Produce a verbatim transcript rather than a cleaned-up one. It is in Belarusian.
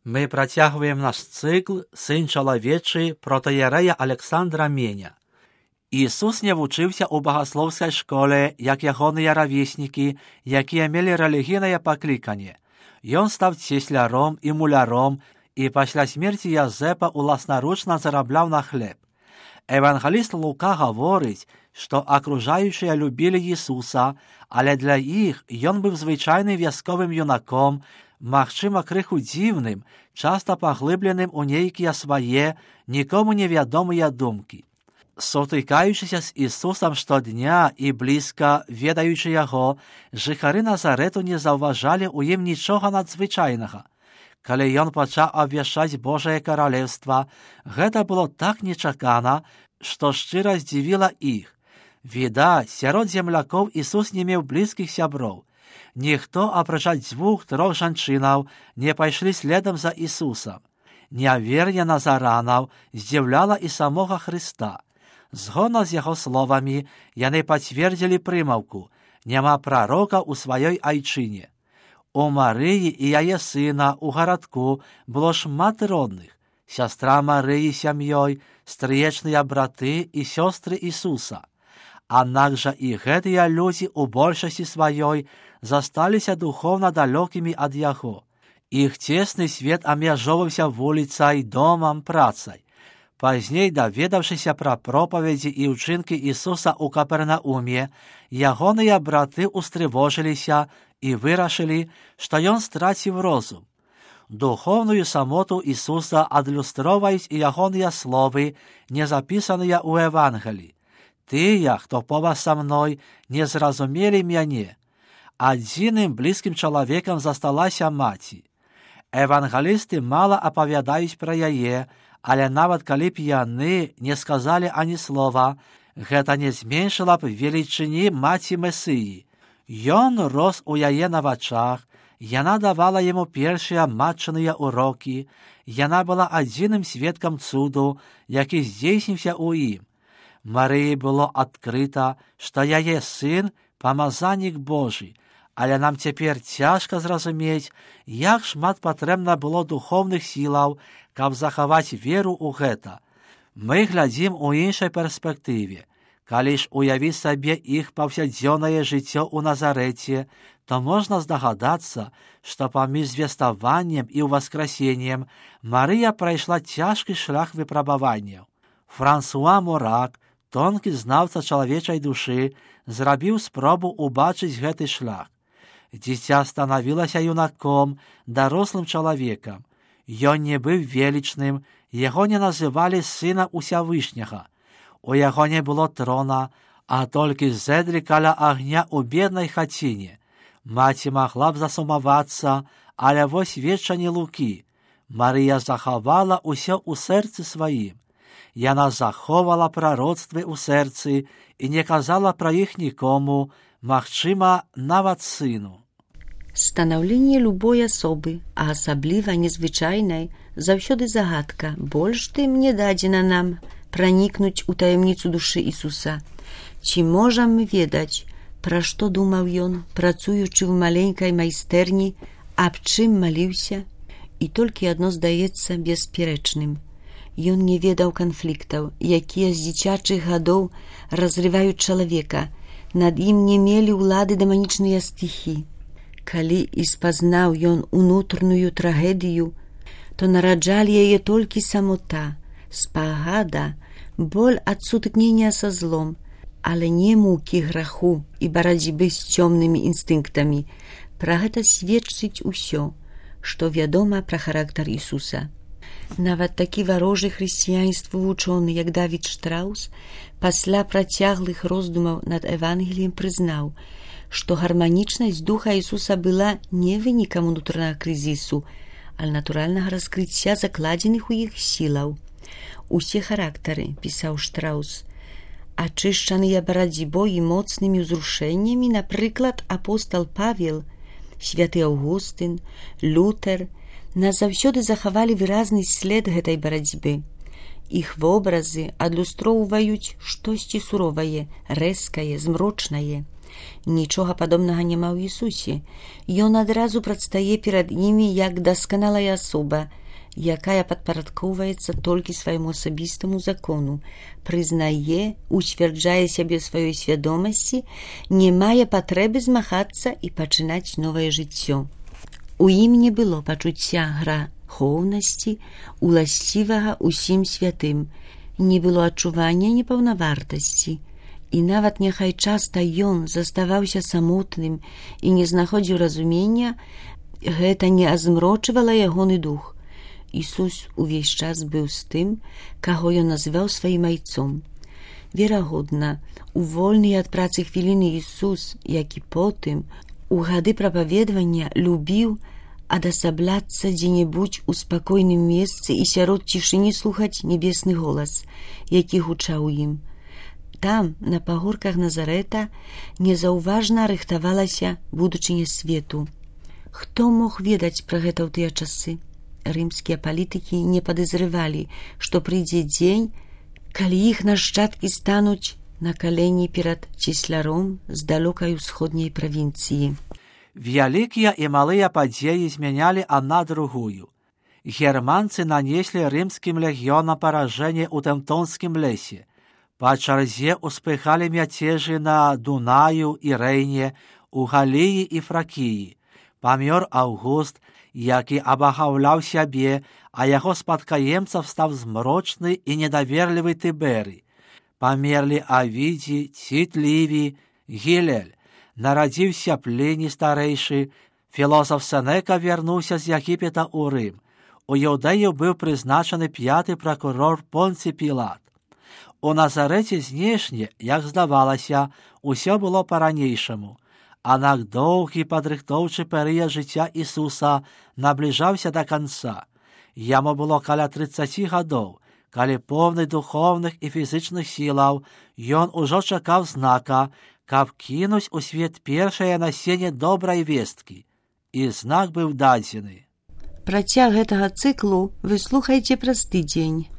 Мы працягваем наш цыкл «Сын чалавечы» протаіярэя Александра Меня. Ісус не вучыўся ў багаслоўскай школе, як ягоныя равеснікі, якія мелі рэлігійнае пакліканне. Ён стаў цесляром і муляром, і пасля смерці Язэпа уласнаручна зарабляў на хлеб. Евангеліст Лука гаворыць, што акружаючыя любілі Ісуса, але для іх ён быў звычайным вясковым юнаком, магчыма, крыху дзіўным, часта паглыбленым у нейкія свае, нікому невядомыя думкі. Сутыкаючыся з Ісусам штодня і блізка ведаючы яго, жыхары Назарэту не заўважалі ў ім нічога надзвычайнага. Калі ён пачаў абвяшчаць Божае каралеўства, гэта было так нечакана, што шчыра здзівіла іх. Відаць, сярод землякоў Ісус не меў блізкіх сяброў. Ніхто, апрача дзвюх-трох жанчынаў, не пайшлі следам за Ісусам. Нявер'е назаранаў здзіўляла і самога Хрыста. Згодна з яго словамі, яны пацвердзілі прымаўку «Няма прарока ў сваёй айчыне». У Марыі і яе сына ў гарадку было шмат родных. Сястра Марыі сям'ёй, стрыечныя браты і сёстры Ісуса. Аднак жа і гэтыя людзі ў большасці сваёй засталіся духоўна далёкімі ад яго. Іх цесны свет абмяжоўваўся вуліцай, домам, працай. Пазней, даведаўшыся пра пропаведзі і ўчынкі Ісуса ў Капернауме, ягоныя браты устрывожыліся і вырашылі, што ён страціў розум. Духоўную самоту Ісуса адлюстроўваюць і ягоныя словы, не запісаныя ў Евангеліі. Тыя, хто побач са мной, не зразумелі мяне. Адзіным блізкім чалавекам засталася маці. Евангелісты мала апавядаюць пра яе, але нават калі б яны не сказалі ані слова, гэта не зменшыла б велічыні маці Месыі. Ён рос у яе на вачах, яна давала яму першыя матчыныя урокі, яна была адзіным сведкам цуду, які здзейсніўся ў ім. Марыі было адкрыта, што яе сын – памазанік Божы, але нам цяпер цяжка зразумець, як шмат патрэбна было духоўных сілаў, каб захаваць веру ў гэта. Мы глядзім у іншай перспектыве. Калі ж уявіць сабе іх паўсядзённае жыццё ў Назарэце, то можна здагадацца, што паміж звеставаннем і ўваскрасеннем Марыя прайшла цяжкі шлях выпрабаванняў. Франсуа Морак, тонкі знаўца чалавечай душы, зрабіў спробу ўбачыць гэты шлях. Дзіця станавілася юнаком, дарослым чалавекам. Ён не быў велічным, яго не называлі сына Усявышняга. У яго не было трона, а толькі зэдлі каля агня ў беднай хаціне. Маці магла б засумавацца, але вось сведчанні Лукі. Марыя захавала ўсё ў сэрцы сваім. Яна заховала прароцтвы ў сэрцы і не казала пра іх нікому, магчыма, нават сыну. Станаўленне любой асобы, а асабліва незвычайнай, заўсёды загадка, больш тым не дадзена нам пранікнуць у таямніцу душы Ісуса. Ці можам мы ведаць, пра што думаў ён, працуючы ў маленькай майстэрні, аб чым маліўся? І толькі адно здаецца бесперечным. Ён не ведаў канфліктаў, якія з дзіцячых гадоў разрываюць чалавека. Над ім не мелі ўлады дэманічныя стыхі. Калі і спазнаў ён унутраную трагедыю, то нараджалі яе толькі самота, спагада, боль ад сутыкнення са злом, але не мукі граху і барацьбы з цёмнымі інстынктамі. Пра гэта сведчыць усё, што вядома пра характар Ісуса. Нават такі варожы хрысціянству вучоны, як Давід Штраус, пасля працяглых роздумаў над Евангеліем прызнаў, што гарманічнасць духа Ісуса была не вынікам унутранага крызісу, але натуральнага раскрыцця закладзеных у іх сілаў. Усе характары, пісаў Штраус, ачышчаныя барацьбой і моцнымі ўзрушэннямі, напрыклад, апостал Павел, святы Аўгустын, Лютер, назаўсёды захавалі выразны след гэтай барацьбы. Іх вобразы адлюстроўваюць штосьці суровае, рэзкае, змрочнае. Нічога падобнага няма ў Ісусе. Ён адразу прадстае перад імі як дасканалая асоба, якая падпарадкоўваецца толькі свайму асабістаму закону, прызнае, уцвярджае сябе сваёй свядомасці, не мае патрэбы змагацца і пачынаць новае жыццё. У ім не было пачуцця грахоўнасці, уласцівага усім святым, не было адчування непаўнавартасці. І нават няхай часта ён заставаўся самотным і не знаходзіў разумення, гэта не азмрочвала ягоны дух. Ісус увесь час быў з тым, каго ён называў сваім айцом. Верагодна, у вольныя ад працы хвіліны Ісус, як і потым, у гады прапаведвання любіў адасабляцца дзе-небудзь у спакойным месцы і сярод цішыні слухаць небесны голас, які гучаў ім. Там, на пагорках Назарэта, незаўважна рыхтавалася будучыня свету. Хто мог ведаць пра гэта ў тыя часы? Рымскія палітыкі не падазрывалі, што прыйдзе дзень, калі іх нашчадкі стануць на калені перад цісляром з далёкай усходняй правінцыі. Вялікія і малыя падзеі змянялі адна другую. Германцы нанеслі рымскім легіёнам паражэнне ў Тэмптонскім лесе. Па чарзе ўспыхалі мяцежы на Дунаю і Рэйне, у Галіі і Фракіі. Памёр Аўгуст, які абагаўляў сябе, а яго спадкаемцам стаў змрочны і недаверлівы Тыберый. Памерлі Авідзі, Ціт Лівій, Гілель. Нарадзіўся Пліні старэйшы, філосаф Сенека вярнуўся з Егіпета ў Рым. У Іўдэю быў прызначаны пяты пракурор Понцый Пілат. У Назарэце знешне, як здавалася, усё было па-ранейшаму. Аднак доўгі падрыхтоўчы перыяд жыцця Ісуса набліжаўся да канца. Яму было каля трыццаці гадоў, калі поўны духоўных і фізычных сілаў, ён ужо чакаў знака, каб кінуць у свет першае насенне добрай весткі. І знак быў дадзены. Працяг гэтага цыклу вы слухаеце праз тыдзень.